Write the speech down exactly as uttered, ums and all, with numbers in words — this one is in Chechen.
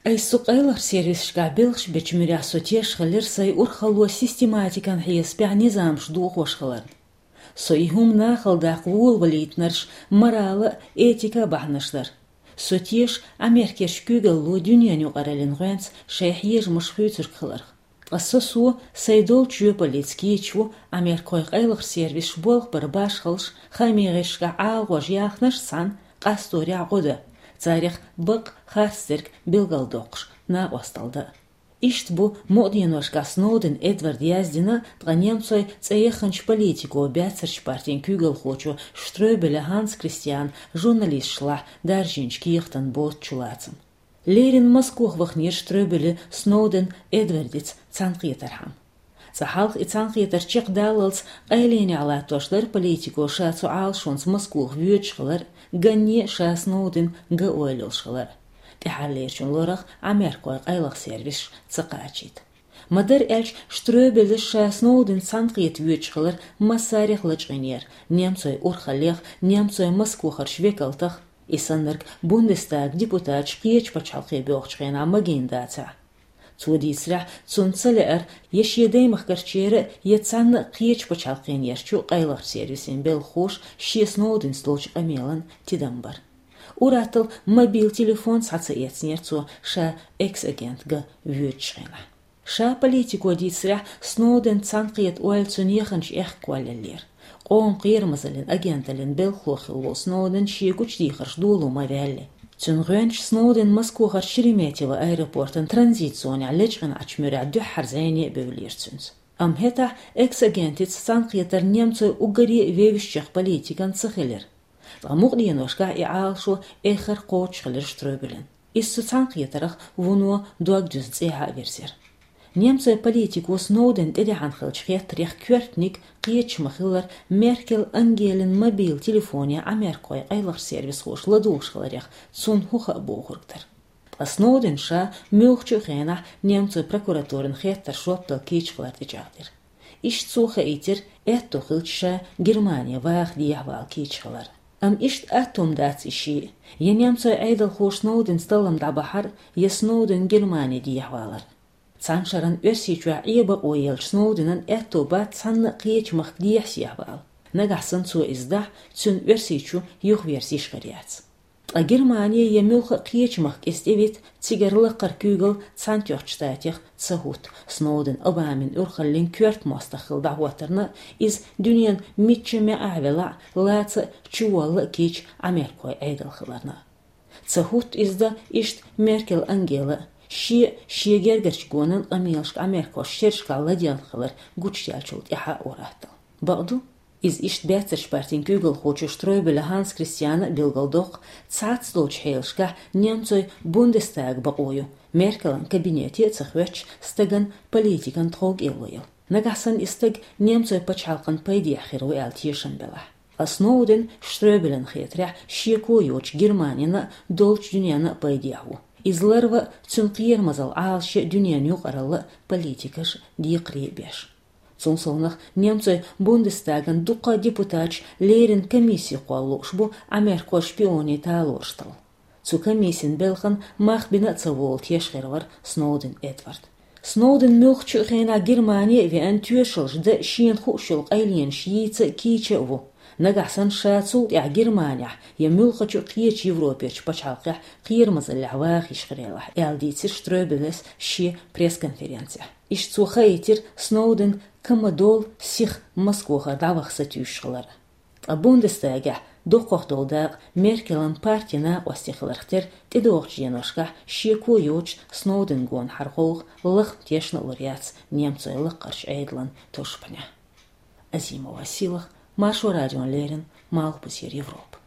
Айса цу къайлахчу сервисашкахь белхаш бечу муьрехь со тешаш хилира сайн урхалло систематикан хьесапехь низамаш дохош хиларна. Со и хӀума нахала даккха волавалийтинарш морала а, этика а бахьанаш дара. Со теша Америкерчу куьйгалло дуьненан юкъараллин гӀоьнца шайн хьежамаш хуьйцург хиларх. Ткъа со, со сайн долчу жоьпаллица кийча ву Америкойн къайлахчу сервисаш болх бар башхаллаш, хаамийн гӀирсашкахь Ӏалашонаш яьхнарш санна, къасторехь гӀо дан, царех бакъ харцдерг билгалдоккхуш, накъосталла дан. Иштта бу мукъа деношкахь Сноуден Эдварда яздина, ткъа немцойн цӀе яханчу политико, баьццарчу партин куьйгалхочо Штрёбеле Ханс Кристиана журналисташлахь даржийначу кехатан боцучу лацам. Леррина Москох ваханера Штрёбеле Сноуден Эдвардица цхьаьнакхетархьама. Цкъа хьалха и цхьаьнакхетар чекхдаллалц къайленехь латтош дара политико ша цу Ӏалашонца Москох воьдуш хилар, ганне а ша Сноуден ган ойла йолуш хилар. ТӀаьхьарлерачун лорах Америкойн къайлаха сервисаш ца кхачийта. Ма-дарра аьлча, Штрёбеле ша Сноуден цхьаьнакхета воьдуш хилар массарех лачкъийнера, немцойн урхаллех, немцойн Москохарчу векалтах, и саннарг Бундестаган депутаташ кхечу пачхьалкхе боьлхучу хенахь магийна дацахь. Цо дийцарехь, цунна ца лаьара я шен даймахкарчеран, я цхьанна а кхечу пачхьалкхенерчу къайлахчу сервисийн белхахоша шен Сноуденца долчу къамелан тидам бар. Ур-атталла мобил телефон схьа ца эцнера цо ша экс-агент ган воьдучу хенахь. Ша политико дийцарехь, Сноуден цхьаьнакхета ойла цуьнан яханчу аьхка кхоллаеллера. Къоман кхерамазаллин агенталлин белхахо хилла волу Сноуден шен гучудехарш доло ма ваьлли. Цуьнан гӀоьнча Сноуден Москохарчу Шереметьево аэропортан транзит-зонехь лечкъинчу муьрехь дуьххьара зӀене а бевллера цуьнца. Амма хӀетахь экс-агентица цхьаьнакхетар немцойн уггаре а вевзачех политикан ца хилира. Ткъа мукъа деношкахь и Ӏалашо эххар кхочуш хилира Штрёбелен. Иза цу цхьаьнакхетарх вуно дог дуьзна цӀехьа а вирзира. Немцойн политико Сноуден тӀедеана хиллачу хеттарех коьртаниг кхеташ ма-хиллара Меркел Ангелин мобил телефоне Америкойн къайлахчу сервисхоша ладугӀуш хиларех цунна хӀун хаьа бохург дара. Ткъа Сноуден ша муьлххачу а хенахь немцойн прокуратуран хеттаршна жоп дала кийча хилар тӀечӀагӀдира. Иштта цо хаийтира, аьтто хилча ша Германе ваха дехьавала кийча хилар. Амма иштта атта хӀума дац и шиъ: я немцойн Ӏедалхоша Сноуденца таллам дӀабахьар, я Сноуден Германе дехьавалар. Цхьана шарна Оьрсийчохь Ӏен бакъо еллачу Сноуденан аьтто бац цхьанна а кхечу махка дехьа-сехьа вала. Нагахь санна цо иза дахь, цуьнан Оьрсийчу юхаверза йиш хир яц. Ткъа Германе я муьлхха а кхечу махка иза тӀевита, цигара лакхара куьйгалла Цхьаьнатоьхначу Штатех ца хӀутту, Сноуден Обамин урхаллин коьрта мостагӀ хилла дӀахӀоттарна, иза дуьненан мичча маьӀӀехь велахь а, лаца а, чуволла а кийча Америкойн Ӏедал хиларна. Ца хӀутту иза дан иштта Меркел Ангела а, шен а, шен гергарчу гонан а къамелашка Америкош шерашкахь ладегӀна хилар гучудаьллачул тӀаьхьа а ур-атталла. Бакъду, иза иштта баьццарчу партин куьйгалхочо Штрёбеле Ханс Кристиана а билгалдоккху, цхьацца долчу хьелашкахь немцойн Бундестага бакъо ю, Меркелан кабинете а ца хоьттуш, стагана политикан тховкӀело яла. Нагахь санна и стаг немцойн пачхьалкхан пайдехь хир ву аьлла тешам белахь. Ткъа Сноуден, Штрёбелен хетарехь, шеко йоцуш Германина а, долчу дуьненна а пайдехь ву. Иза ларва а, цуьнан кхерамазалла Ӏалашъе а дуьненан юкъаралла а, политикаш а декхаре а беш. Цул совнаха немцойн Бундестаган дуккха а депутаташ леррина комисси кхолла лууш бу Америкойн шпионийн талораш талла. Цу комиссин белхан мах бина а ца волу тешаш хир вара Сноуден Эдвард. Сноуден муьлххачу а хенахь Германе а веана, тоьшаллаш дан а, шена хууш йолу къайленаш йийца а, кийча а ву. Нагахь санна ша цул тӀаьхьа Германехь я муьлххачу а кхечу Европерчу пачхьалкхехь кхерамазаллехь ваха йиш хир елахь, аьлла дийцира Штрёбелес шен пресс-конференцехь. Иштта цо хаийтира Сноуден кама долу сиха Москохара дӀаваха сатуьйсуш хилар. Ткъа Бундестагехь доккхах долу дакъа Меркелан партин накъостий хиларх тера тӀедогӀучу деношкахь шеко йоцуш Сноуден гонахьара гӀовгӀа лахма тешна а лур яц немцойн лакхарчу Ӏедалан тушпанехь. Азимова Силах, Маршо радиона леррина, Малхбузера Европа.